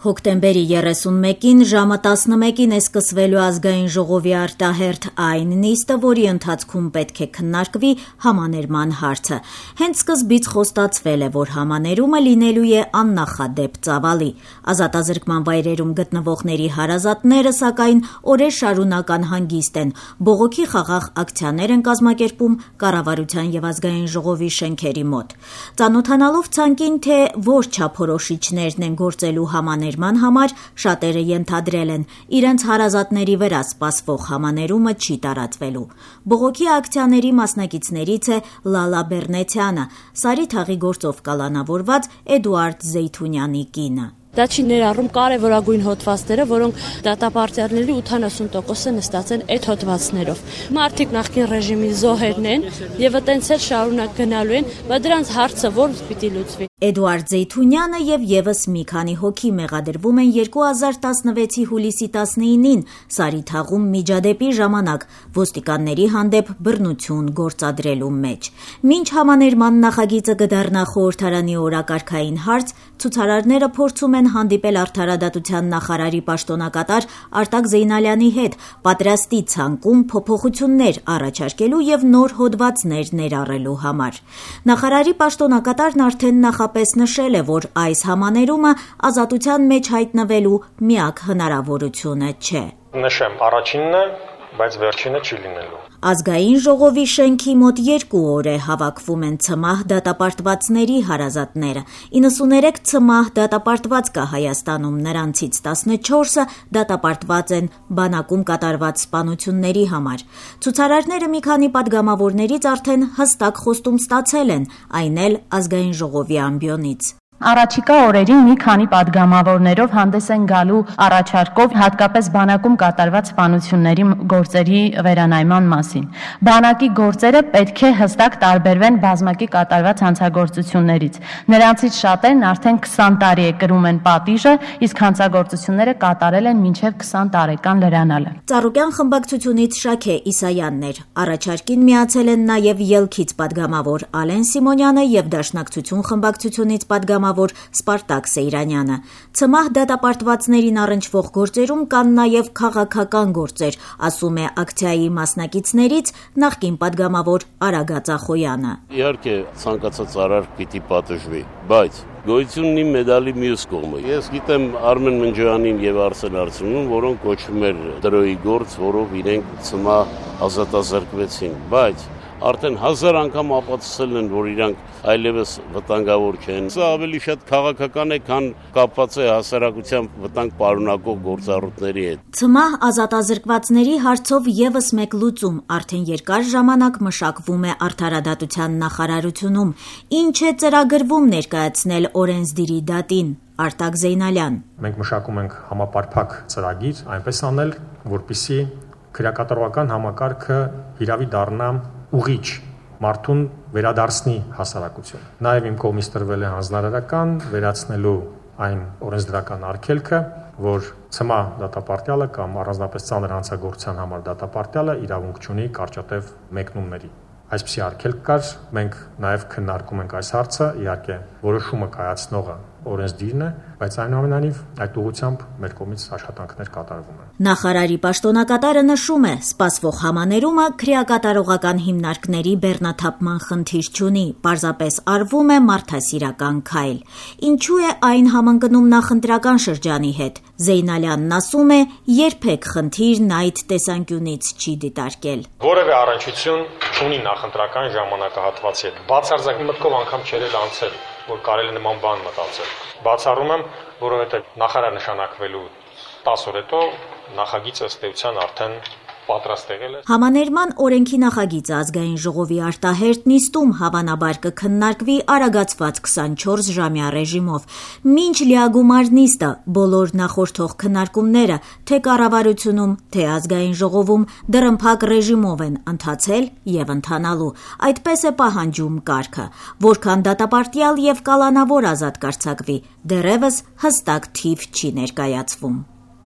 Հոկտեմբերի 31-ին ժամը 11-ին է սկսվելու ազգային ժողովի արտահերթ այն նիստը, որի ընթացքում պետք է քննարկվի համաներման հարցը։ Հենց սկզբից խոստացվել է, որ համաներումը լինելու է աննախադեպ ծավալի։ Ազատազրկման վայրերում գտնվողների հարազատները, սակայն, օրեր շարունակ անհանգիստ են։ Բողոքի խաղաղ ակցիաներ են կազմակերպում կառավարության եւ ազգային ժողովի շենքերի մոտ։ Ծանոթանալով ցանկին, թե որ չափորոշիչներն են գործելու համաներման համար, շատերը ենթադրել են, իրենց հարազատների վրա սպասվող համաներումը չի տարածվելու։ Բողոքի ակցիաների մասնակիցներից է Լալա Բեռնեցյանը, Սարի թաղի գործով կալանավորված Էդուարդ Զեյթունյանի կինը։ Դա չի ներառում կարևորագույն հոդվածները, որոնք դատապարտյալների 80%-ը նստած են այդ հոդվածներով։ Մարդիկ նախկին ռեժիմի զոհերն են եւ այտենց էլ շարունակ գնալու են, բայց դրանց հարցը ո՞րն պիտի լուծվի։ Էդուարդ Զեյթունյանը եւ եւս մի քանի հոգի մեղադրվում են 2016-ի հուլիսի 19-ին Սարի թաղում միջադեպի ժամանակ ոստիկանների հանդեպ բռնություն գործադրելու մեջ։ Մինչ համաներման նախագիծը կդառնա խորհրդարանի օրակարգային հարց, ցուցարարները փորձում են հանդիպել արդարադատության նախարարի պաշտոնակատար Արտակ Զեյնալյանի հետ, պատրաստի ցանկում փոփոխություններ առաջարկելու եւ նոր հոդվածներ ներառելու համար։ Նախարարի պաշտոնակատարն արդեն նախապես նշել է, որ այս համաներումը ազատության մեջ հայտնվելու միակ հնարավորությունը չէ։ Նշեմ, առաջինն է, բայց վերջինը չի լինելու։ Ազգային ժողովի շենքի մոտ 2 օր է հավաքվում են ցմահ դատապարտվածների հարազատները։ 93 ցմահ դատապարտված կա Հայաստանում, նրանցից 14-ը դատապարտված են բանակում կատարված սպանությունների համար։ Ցուցարարները մի քանի падգամավորներից արդեն հստակ խոստում ստացել են, այն էլ ազգային ժողովի ամբիոնից։ Առաջիկա օրերին մի քանի падգամավորներով հանդես են գալու առաջարկով հատկապես բանակում կատարված սպանությունների գործերի վերանայման մասին։ Բանակի գործերը պետք է հստակ տարբերվեն բազմակի կատարված հանցագործություններից։ Նրանցից շատերն արդեն 20 տարի է կրում են պատիժը, իսկ հանցագործությունները կատարել են մինչև 20 տարեկան լրանալը։ Ծառուկյան խմբակցությունից Շաքե Իսայանն էր։ Առաջարկին միացել են նաև ելքից падգամավոր Ալեն Սիմոնյանը եւ Դաշնակցություն խմբակցությունից падգամավոր Սպարտակ Սեյրանյանը։ Ցմահ դատապարտվածներին առնչվող գործերում կան նաև քաղաքական գործեր, ասում է ակցիայի մասնակիցներից նախկին падգամավոր Արագած Ախոյանը։ Իհարկե, ցանկացած արար պիտի պատժվի, բայց գոյությունն ունի մեդալի մյուս կողմը։ Ես գիտեմ Արմեն Մնջյանին եւ Արսեն Արցունին, որոնք կոչվում էր դրոյի գործ, որով իրենք ցմահ ազատազրկվեցին, բայց արդեն 1000 անգամ ապացուցել են, որ իրանք այլևս վտանգավոր չեն։ Սա ավելի շատ քաղաքական է, քան կապված է հասարակության վտանգ պարունակող գործառույթների հետ։ Ցմահ ազատազրկվածների հարցով եւս մեկ լուծում արդեն երկար ժամանակ մշակվում է արդարադատության նախարարությունում։ Ինչ է ծրագրվում ներկայացնել օրենսդիրի դատին։ Արտակ Զեյնալյան։ Մենք մշակում ենք համապարփակ ծրագիր, այնպես անել, որպեսզի քրեակատարողական համակարգը հիրավի դառնա ուղիչ մարդուն վերադարձնի հասարակություն։ Նաև իմ կողմից տրվել է հանձնարարական վերացնելու այն օրենսդրական արգելքը, որ ցմահ դատապարտյալը կամ առանձնապես ծանր հանցագործության համար դատապարտյալը իրավունք չունի կարճատև մեկնումների։ Այսպիսի արգելք կար, մենք նաև քննարկում ենք այս հարցը, իհարկե որոշումը կայացնողը օրենսդիրն է, բայց այնուամենայնիվ այդ ուղղությամբ մեր կողմից աշխատանքներ կատարվում են։ Նախարարի պաշտոնակատարը նշում է, սպասվող համաներումը քրեակատարողական հիմնարկների բեռնաթափման խնդիր չունի, պարզապես արվում է մարդասիրական քայլ։ Ինչու է այն համընկնում նախընտրական շրջանի հետ։ Զեյնալյանն ասում է, երբեք խնդիրն այդ տեսանկյունից չի դիտարկել։ Որևէ առնչություն չունի նախընտրական ժամանակահատվածի հետ։ Բացարձակ մտքով անգամ չէր անցել, որ կարելի նման բան մտածել։ Բացառում եմ, որովհետև նախարար նշանակվելու 10 օր հետո նախագիծը ըստ էության արդեն պատրաստ եղել է։ Համաներման օրենքի նախագիծը ազգային ժողովի արտահերթ նիստում հավանաբար կքննարկվի արագացված 24-ժամյա ռեժիմով։ Մինչ լիագումար նիստը բոլոր նախորդող քննարկումները թե կառավարությունում, թե ազգային ժողովում դռնփակ ռեժիմով են ընթացել եւ ընթանալու։ Այդպես է պահանջում կարգը, որքան դատապարտյալ եւ կալանավոր ազատ կարձակվի, դեռևս հստակ թիվ չի ներկայացվում։